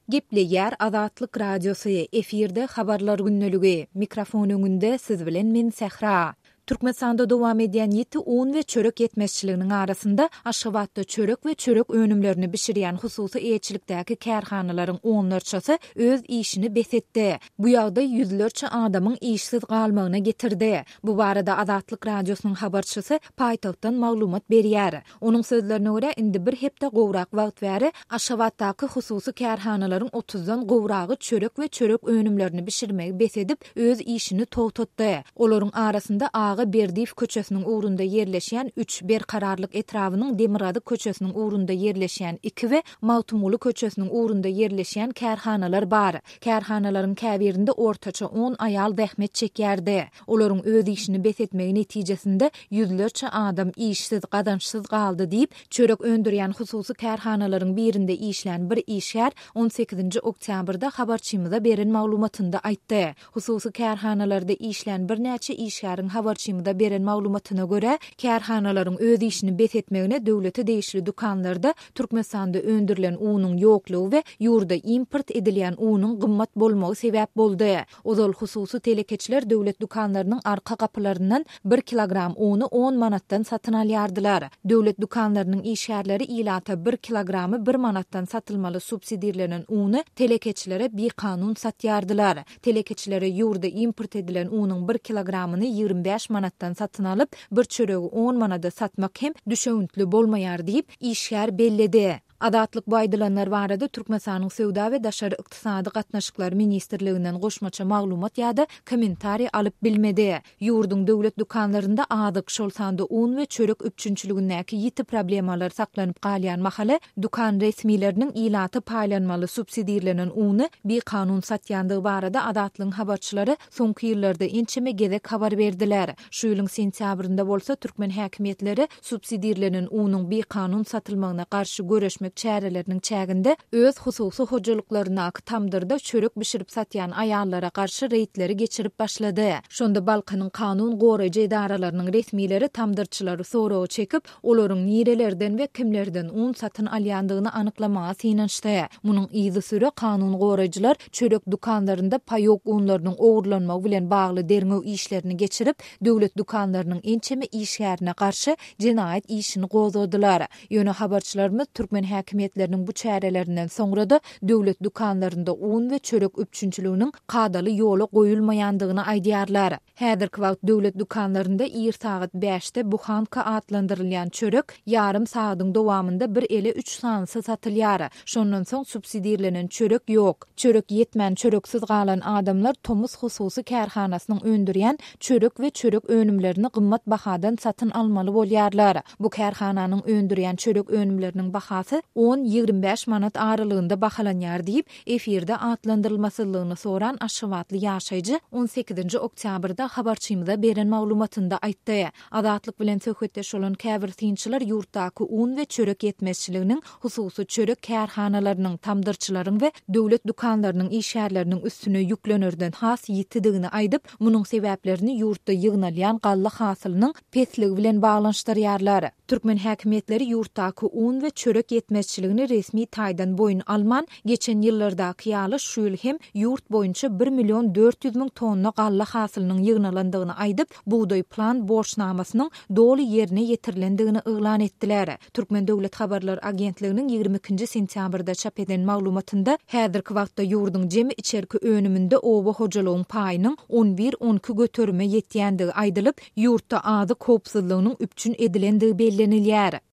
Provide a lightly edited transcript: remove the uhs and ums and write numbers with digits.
Gepleýär Azatlyk Radiosy, efirde Habarlar gündeligi, mikrofon öňünde siz bilen men Sähra. Türkmenistanda dowam edýän ýiti un we çörek ýetmezçiliginiň arasynda Aşgabatda çörek we çörek önümlerini bişirýän hususy eýeçilikdäki kärhanalaryň onlarçasy öz işini bes etdi. Bu ýagdaý ýüzlerçe adamyň işsiz galmagyna getirdi. Bu barada Azatlyk Radiosynyň habarçysy paýtagtdan maglumat berýär. Onuň sözlerine görä, indi bir hepde gowrak wagt bäri Aşgabatdaky hususy kärhanalaryň otuzdan gowragy çörek we çörek önümlerini bişirmegi bes edip, öz işini togtatdy. Olaryň arasynda Aga Berdiýew köçesiniň ugrunda ýerleşýän üç, Berkararlyk etrabynyň Demirgazyk köçesiniň ugrunda ýerleşýän iki we Magtymguly köçesiniň ugrunda ýerleşýän kärhanalar bar. Kärhanalaryň käbirinde ortaça on aýal zähmet çekýärdi. Olaryň öz işini bes etmegi netijesinde ýüzlerçe adam işsiz, gazançsyz galdy diýip, çörek öndürýän hususy kärhanalaryň birinde işlän bir işgär on sekizinji oktýabrda habarçymyza beren maglumatynda aýtdy. Hususy kärhanalarda işlän birnäçe işgäriň habarçymyza beren maglumatyna görä, kärhanalaryň öz işini bes etmegine döwlete degişli dükanlarda Türkmenistanda öndürilen unuň ýoklugy we ýurda import edilýän unuň gymmat bolmagy sebäp boldy. Ozal hususy telekeçiler döwlet dükanlarynyň arka gapylaryndan bir kilogram uny on manatdan satyn alýardylar. Döwlet dükanlarynyň işgärleri ilata bir kilogramy bir manatdan satylmaly subsidirlenen uny telekeçilere bikanun satýardylar. Telekeçilere ýurda import edilen unuň bir kilogramyny 25 manatdan satyn alyp, bir çöregi on manada satmak hem düşewüntli bolmaýar diýip, işgär belledi. Azatlyk bu aýdylanlar barada Türkmenistanyň Söwda we daşary ykdysady gatnaşyklar ministrliginden goşmaça maglumat ýa-da kommentariý alyp bilmedi. Ýurduň döwlet dükanlarynda azyk, şol sanda un we çörek üpjünçiligindäki ýiti problemalar saklanyp galýan mahaly, dükan resmileriniň ilata paýlanmaly subsidirlenen uny bikanun satýandygy barada Azatlygyň habarçylary soňky ýyllarda ençeme gezek habar berdiler. Şu ýylyň sentýabrynda bolsa türkmen häkimiýetleri subsidirlenen unuň bikanun satylmagyna garşy göreşmek çäreleriniň çäginde öz hususy hojalyklaryndaky tamdyrda çörek bişirip satýan aýallara garşy reýdleri geçirip başlady. Şonda Balkanyň kanun goraýjy edaralarynyň resmileri tamdyrçylary soraga çekip, olaryň nirelerden we kimlerden un satyn alýandygyny anyklamaga synanyşdy. Munuň yzysüre kanun goraýjylar çörek dükanlarynda paýok unlarynyň ogurlanmagy bilen bagly derňew işlerini geçirip, döwlet dükanlarynyň ençeme işgärine garşy jenaýat işini gozgadylar. Ýöne habarçylarymyz türkmen häkimiýetleriniň bu çärelerinden soňra-da döwlet dükanlarynda un we çörek üpjünçiliginiň kadaly ýola goýulmaýandygyny aýdýarlar. Häzirki wagt döwlet dükanlarynda ir sagat bäşde buhanka atlandyrylýan çörek ýarym sagadyň dowamynda bir ele üç sanysy satylýar. Şondan soň subsidirlenen çörek ýok. Çörek ýetmän çöreksiz galan adamlar Tomus hususy kärhanasynyň öndürýän çörek we çörek önümlerini gymmat bahadan satyn almaly bolýarlar. Bu kärhananyň öndürýän çörek önümleriniň bahasy on, 25 manat aralygynda bahalanýar diýip, Efirde atlandyrylmasyzlygyny soran aşgabatly ýaşaýjy on sekizinji oktýabrda habarçymyza beren maglumatynda aýtdy. Azatlyk bilen söhbetdeş bolan käbir synçylar ýurtdaky un we çörek ýetmezçiliginiň hususy çörek kärhanalarynyň, tamdyrçylaryň we döwlet dükanlarynyň işgärleriniň üstüne ýüklenerden has ýitidigini aýdyp, munuň sebäplerini ýurtda ýygnalýan galla hasylynyň pesligi bilen baglanyşdyrýarlar. Türkmen häkimiýetleri ýurtdaky un we çörek ýetmezçiligini resmi taýdan boýun alman, geçen ýyllardaky ýaly şu ýyl hem ýurt boýunça bir million 400 müň tonna galla hasylynyň ýygnalandygyny aýdyp, bugdaý plan borçnamasynyň doly ýerine ýetirilendigini yglan etdiler. Türkmen döwlet habarlar agentliginiň 22-nji sentýabrda çap eden maglumatynda häzirki wagtda ýurduň jemi içerki önüminde oba hojalygyň paýynyň on bir-on iki göterime ýetýändigi aýdylyp, ýurtda azyk howpsuzlygynyň üpjün edilendigi bellenilýär.